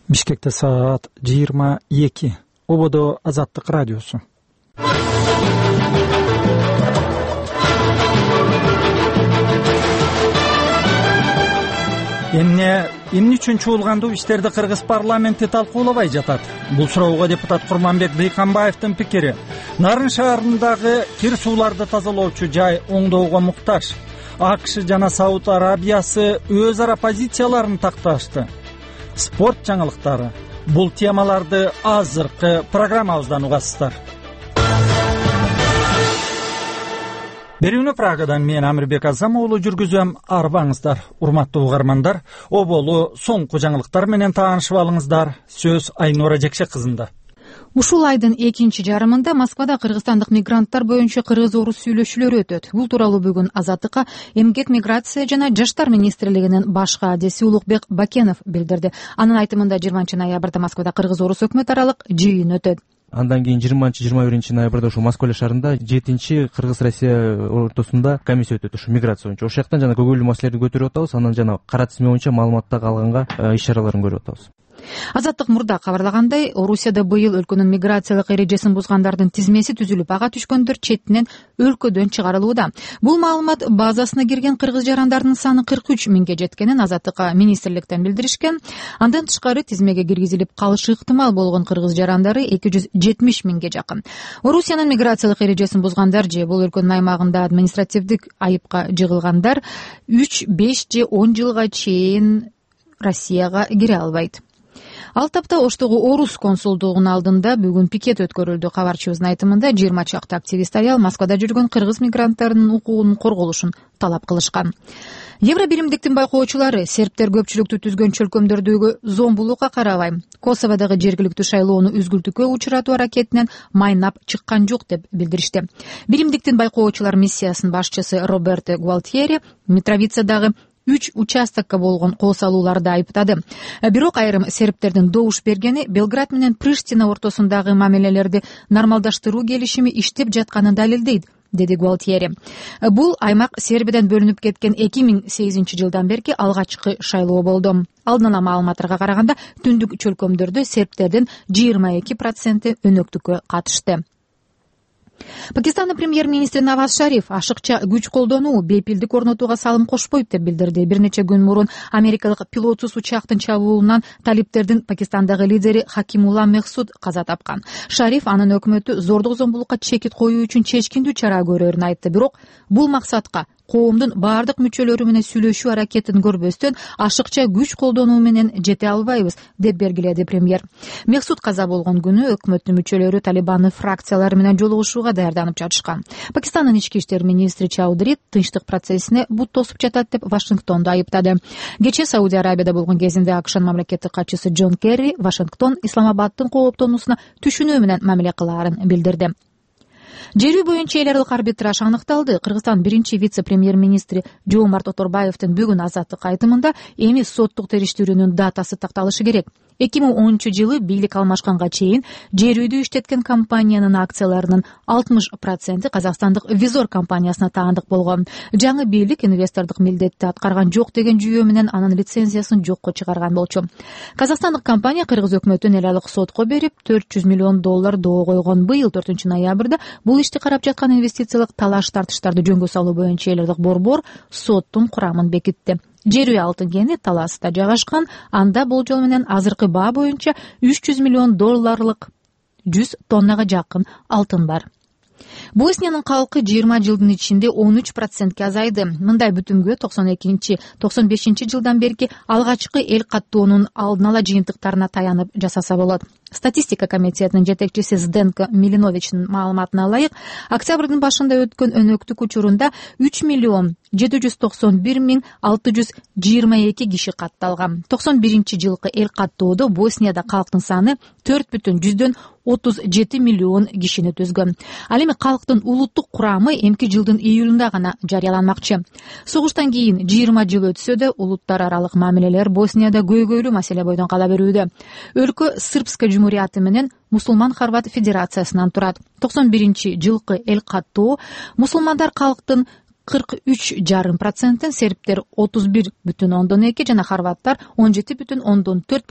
Бишкекте саат 22. Ободо Азаттык радиосу. Эмне үчүн чуулгандуу иштерди Кыргыз парламенти талкуулабай жатат? Бул суроого депутат Курманбек Бейкамбаевдин пикири. Нарын шаарындагы кир сууларды тазалоочу жай оңдоого муктаж. АКШ жана Сауд Арабиясы өз ара позицияларын такташты. Спорт жаңылыктары. Бул темаларды азыркы программабыздан угасыздар. Берүүнү Прагадан мен Амирбек Азам уулу жүргүзөм. Арбаңыздар, урматтуу угармандар. Оболу соңку жаңылыктар менен таанышып алыңыздар. Сөз Айнура Жекшек кызында. Ушул айдын экинчи жарымында Москвада кыргызстандык мигранттар боюнча кыргыз-орус сүйлөшүүлөрү өтөт. Бул тууралуу бүгүн Азаттыкка Эмгек, миграция жана жаштар министрлигинин баш кадиси Улукбек Бакенов билдирди. Анын айтымында 20-ноябрда Москвада кыргыз-орус өкмөт аралык жыйын өтөт. Андан кийин 20-21 ноябрда ушу Москва шаарында 7-чи Кыргыз-Россия ортосунда комиссия өтөт, ушу миграция боюнча. Ошол жактан жана көңүлдүү маселелерди көтөрүп атабыз, анан жана кара тизме боюнча маалыматтарды алганга иш-чараларын көрүп атабыз. Азаттык мурда кабарлагандай, Орусияда быйыл өлкөнүн миграциялык эрежесин бузгандардын тизмеси түзүлүп, ага түшкөндөр четинен өлкөдөн чыгарылууда. Бул маалымат базасына кирген кыргыз жарандардын саны 43 миңге жеткенин Азаттыкка министрликтен билдиришкен. Андан тышкары тизмеге киргизилип калышы ыктымал болгон кыргыз жарандары 270 миңге жакын. Орусиянын миграциялык эрежесин бузгандар же бул өлкөнүн аймагында административдик айыпка жыгылгандар 3, 5 же 10 жылга чейин Россияга кире албайт. Ал тапта Оштогу орус консулдугунун алдында бүгүн пикет өткөрүлдү. Кабарчыбыздын айтымында 20 чакты активист аял Москвада жүргөн кыргыз мигранттарынын укугунун корголушун талап кылышкан. Евро биримдиктин байкоочулары сербтер көпчүлүктү түзгөн чөлкөмдөрдөгү зомбулукка карабай Косоводогу жергиликтүү шайлоону үзгүлтүүгө учуратуу аракетинен майнап чыккан жок деп билдиришти. Биримдиктин байкоочулар миссиясынын башчысы Роберто Гуалтьери Митровицадагы 3 участокко болгон кол салууларды айыптады. Бирок айрым сербтердин добуш бергени Белград менен Приштина ортосундагы мамилелерди нормалдаштыруу келишими иштеп жатканын далилдейт, деди Гуалтьери. Бул аймак Сербиядан бөлүнүп кеткен 2008 жылдан берки алгачкы шайлоо болду. Алдын ала маалыматтарга караганда түндүк чөлкөмдөрдө сербтердин 22% өнөктүккө катышты. Пакистандын премьер-министри Наваз Шариф ашыкча күч колдонуу бейпилдик орнотууга салым кошпойт деп билдирди. Бир нече күн мурун америкалык пилотсуз учактын чабуулунан талиптердин Пакистандагы лидери Хакимулла Мехсуд каза тапкан. Шариф анын өкмөтү зордук зомбулукка чекит коюу үчүн чечкиндүү чара көрөрүн айтты. Бирок бул максатка коомдун бардык мүчөлөрү менен сүйлөшүү аракетин көрбөстөн ашыкча күч колдонуу менен жете албайбыз, деп белгиледи премьер. Мехсуд каза болгон күнү өкмөттүн мүчөлөрү Талибандын фракциялары менен жолугушууга даярданып жатышкан. Пакистандын ички иштер министри Чаудри тынчтык процессине бут тосуп жатат деп Вашингтонду айыптады. Кечээ Саудия Арабияда болгон кезинде АКШнын мамлекеттик катчысы Джон Керри Вашингтон Исламабаддын кооптонуусуна түшүнүү менен мамиле кылаарын билдирди. Жерүү боюнча эл аралык арбитраж аныкталды. Кыргызстан биринчи вице-премьер-министри Жоомарт Оторбаевдин бүгүн Азаттык айтымында эми соттук териштирүүнүн датасы такталышы керек. 2010-жылы бийлик алмашканга чейин жерүүдү иштеткен компаниянын акцияларынын 60% казакстандык Визор компаниясына таандык болгон. Жаңы бийлик инвестордук милдетти аткарган жок деген жүйө менен анын лицензиясын жокко чыгарган болчу. Казакстандык компания кыргыз өкмөтүн эл аралык сотко берип $400 миллион доо койгон. Быйыл 4-ноябрда бул ишти карап жаткан инвестициялык талаш-тартыштарды жөнгө салуу боюнча эл аралык борбор соттун курамын бекитти. Жерүү алтын кени Таласта жайгашкан. Анда болжол менен азыркы баа боюнча $300 миллион 100 тоннага жакын алтын бар. Босниянын калкы 20 жылдын ичинде 13%ке азайды. Мындай бүтүмгө 92-95 жылдан берки алгачкы эл каттоонун алдын ала жыйынтыктарына таянып жасаса болот. Статистика комитетинин жетекчиси Зденко Милиновичтин маалыматына ылайык, октябрдын башында өткөн өнөктүк учурунда 3,791,622 киши катталган. 91-жылкы эл каттоодо Боснияда калктын саны 4,37 миллион кишини түзгөн. Ал эми калктын улуттук курамы эмки жылдын июлунда гана жарыяланмакчы. Согуштан кийин 20 жыл өтсө да улуттар аралык мамилелер Боснияда көйгөйлүү маселе бойдон кала берүүдө. Өлкө Сырбская жумурияты менен Мусулман Хорват федерациясынан турат. 91-жылкы эл каттоо мусулмандар калктын 43,5%, сербтер 31,2 жана хорваттар 17,4%